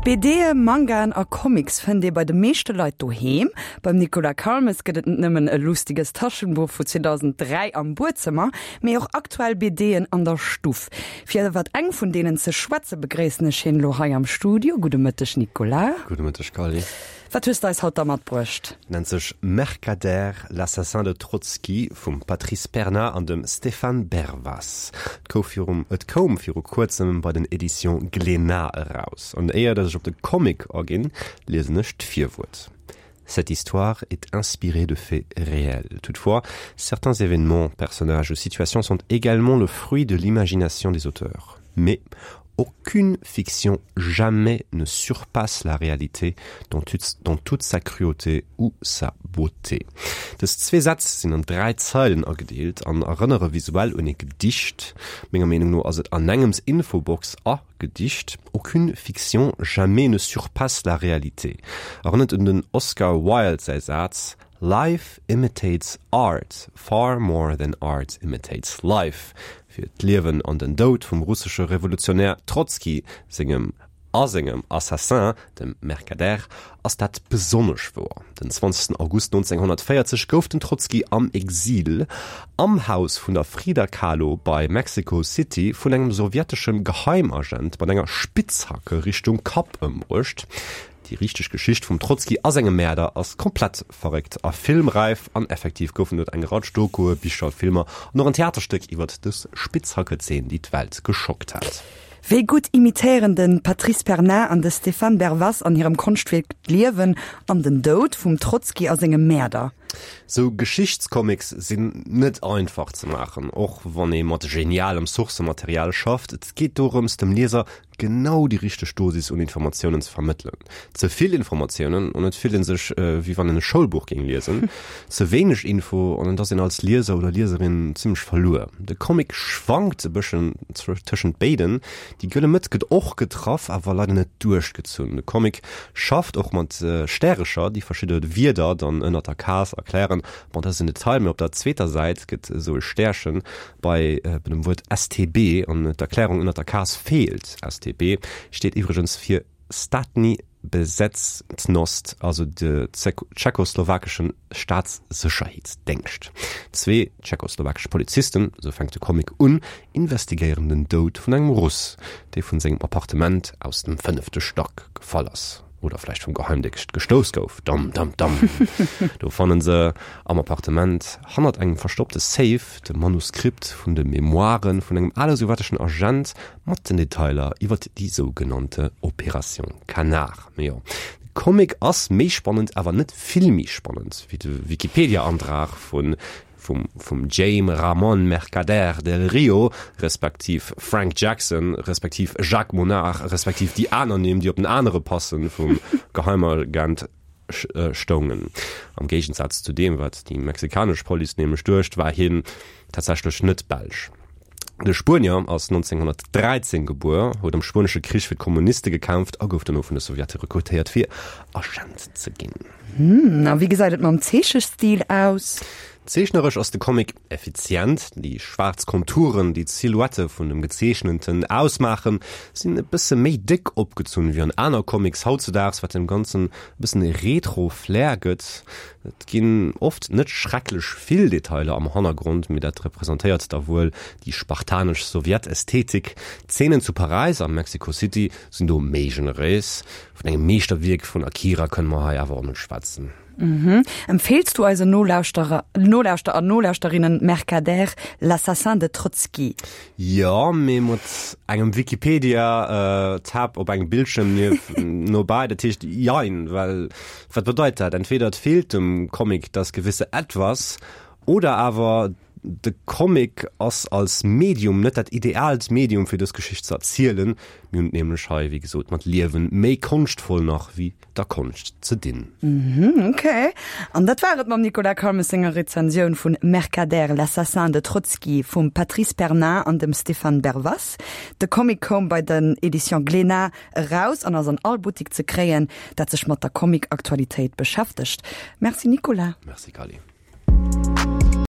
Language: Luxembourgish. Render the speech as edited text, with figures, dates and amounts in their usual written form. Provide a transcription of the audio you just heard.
BDe, Mangaen a Comics fënnt ee bei de meeschte Leit doheem. Beim Nicolas Calmes gëtt et net nëmmen e lustiges Taschenbuch vu 2003 am Buedzëmmer, mee och aktuell BDen an der Stuff. Fir iwwert eng vun deenen ze schwätze begréissen ech hien elo hei am Studio. Gudde Mëtteg Nicolas. Gudde Mëtteg Carly. Wat hues de eis haut da matbruecht? Nennt sech Mercader, l'assassin de Trotsky vum Patrice Perna an dem Stéphane Bervas. Et kouw virum et koum viru kuerzem bei den Editions Glénat eraus. An éier dass ech op de Comic aginn, liesen ech d'Virwuert. Cette histoire est inspirée de faits réels. Toutefois, certains événements, personnages ou situations sont également le fruit de l'imagination des auteurs. Mais aucune fiction jamais ne surpasse la réalité dans toute, dans toute sa cruauté ou sa beauté. Dës zwee Sätz sinn an 3 Zeilen agedeelt an erënnere visuell un ee Gedicht. Menger Meenung no ass et anengems Infobox a Gedicht. Aucune fiction jamais ne surpasse la réalité erënnert un den Oscar Wilde säi Saz Life imitates art far more than art imitates life. Fir d'Liewen an den Doud vum russesche Revolutionär Trotzki sengem a sengem Assassin, dem Mercader, ass dat besonnesch wouer. Den 20 August 1940 gouf den Trotzki am Exil am Haus vun der Frida Kahlo bei Mexico City vun engem sowjeteschem Geheimagent mat enger Spitzhacke Richtung Kapp ëmbruecht. Déi richteg Geschicht vum Trotzki a senge Mäerder ass komplett verréckt a filmräif an effektiv goufen et eng Ratsch Dokue, Bicher, Filmer an och en Theaterstéck iwwert dës Spitzhackezeen, déi d'Welt geschockt hat. Wéi gutt imitéieren de Patrice Pernin an de Stéphane Bervas an hirem Konschtwierk d'Liewen an den Doud vum Trotzki a senge Mäerder? Sou Geschichtscomics sinn net einfach ze maachen, och wann ee mat genialem Sourcematerial schafft. Et geet dorëms, dem Lieser genau déi richteg Dosis un Informatiounen ze vermëttelen. Ze vill Informatiounen an et fillt een sech wéi wann een e Schoulbuch géing liesen. Ze wéineg Info an et ass een als Lieser oder Lieserin zimmlech verluer. De Comic schwankt e bëschen tëschent béiden. Déi gëlle Mëtt gëtt och getraff, awer leider net duerchgezunn. De Comic schafft och mat Stärecher, déi verschidde Wierder dann ënnert der Case erklären. Bon, dat ass en Detail, mee op der zweeter Säit gëtt esou e Stärchen Bei dem Wuert STB an d'Erklärung ënnert der Case feelt. STB steet iwwregens fir Státní Bezectnost, also de tschechoslowakesche Staatssécherheetsdéngscht. Zwee tschechoslowakesch Polizisten, esou fänkt de Comic un, investigéieren den Doud vun engem Russ, dee vun sengem Appartement aus dem fënnefte Stack gefall ass. Oder vläicht vum Geheimdéngscht gestouss gouf. Dam, dam, dam. Do fannen se am Appartement hannert engem verstoppte Safe de Manuskript vun de Memoiren vun engem ale sowjeteschen Agent mat den Detailer iwwert déi sougenannte Opération Canard. Mee jo, de Comic ass méi spannend, awer net vill méi spannend wéi de Wikipedia-Antrag vun vum vum Jaime Ramon Mercader del Rio, respektiv Frank Jackson, respektiv Jacques Monard, respektiv déi aner Nimm, déi op den anere Passen vum Geheimagent stoungen. Am Géigensaz zu deem, wat déi mexikanesch Police nämlech duecht, war hien tatsächlech net Belsch. De Spuenier ass 1913 gebuer, huet am Spuenesche Krich fir d'Kommuniste gekämpft a gouf dono vun de Sowjete rekrutéiert fir Agent ze ginn. Hm, a wéi gesäit et mam Zeechestil aus? Zeechneresch ass de Comic effizient, déi schwaarz Konturen, déi d'Silhouette vun dem Gezeechnenten ausmaachen, sinn e bësse méi déck opgezunn wéi an aner Comics hautzedaags, wat dem Ganzen e bëssen e Retro-Flair gëtt. Et ginn oft net schrecklech vill Detailer am Hannergrond, mee dat representéiert da wuel déi spartanesch Sowjet-Ästhetik. D'Zeenen zu Paräis a Mexico City sinn do méi generéis. Vun engem Meeschterwierk vun Akira kënne mer hei awer och net schwätzen. Empfeels du eisen Nolauschterer, Nolauschter an Nolauschterinnen Mercader, l'assassin de Trotsky? Jo, mee mat engem Wikipedia Tab op engem Bildschirm nief nobäi. Dat heescht jein, well wat bedeit dat? Entweder et feelt dem Comic das gewisse Etwas oder awer de Comic ass als Medium net dat ideaalt Medium fir dës Geschicht ze erzielen. Mir hunn et nämlech hei wéi gesot mat Liewen méi konschtvoll nach wéi der Konscht ze dinn. Mhm, ok. An dat war et mam Nicolas Calmes senger Rezensioun vun Mercader, l'assassin de Trotsky vum Patrice Pernin an dem Stéphane Bervas. De Comic koum bei den Editions Glénat eraus an ass an all Buttik ze kréien, dat sech mat der Comic-Aktualitéit beschäftegt. Merci Nicolas. Merci Kally.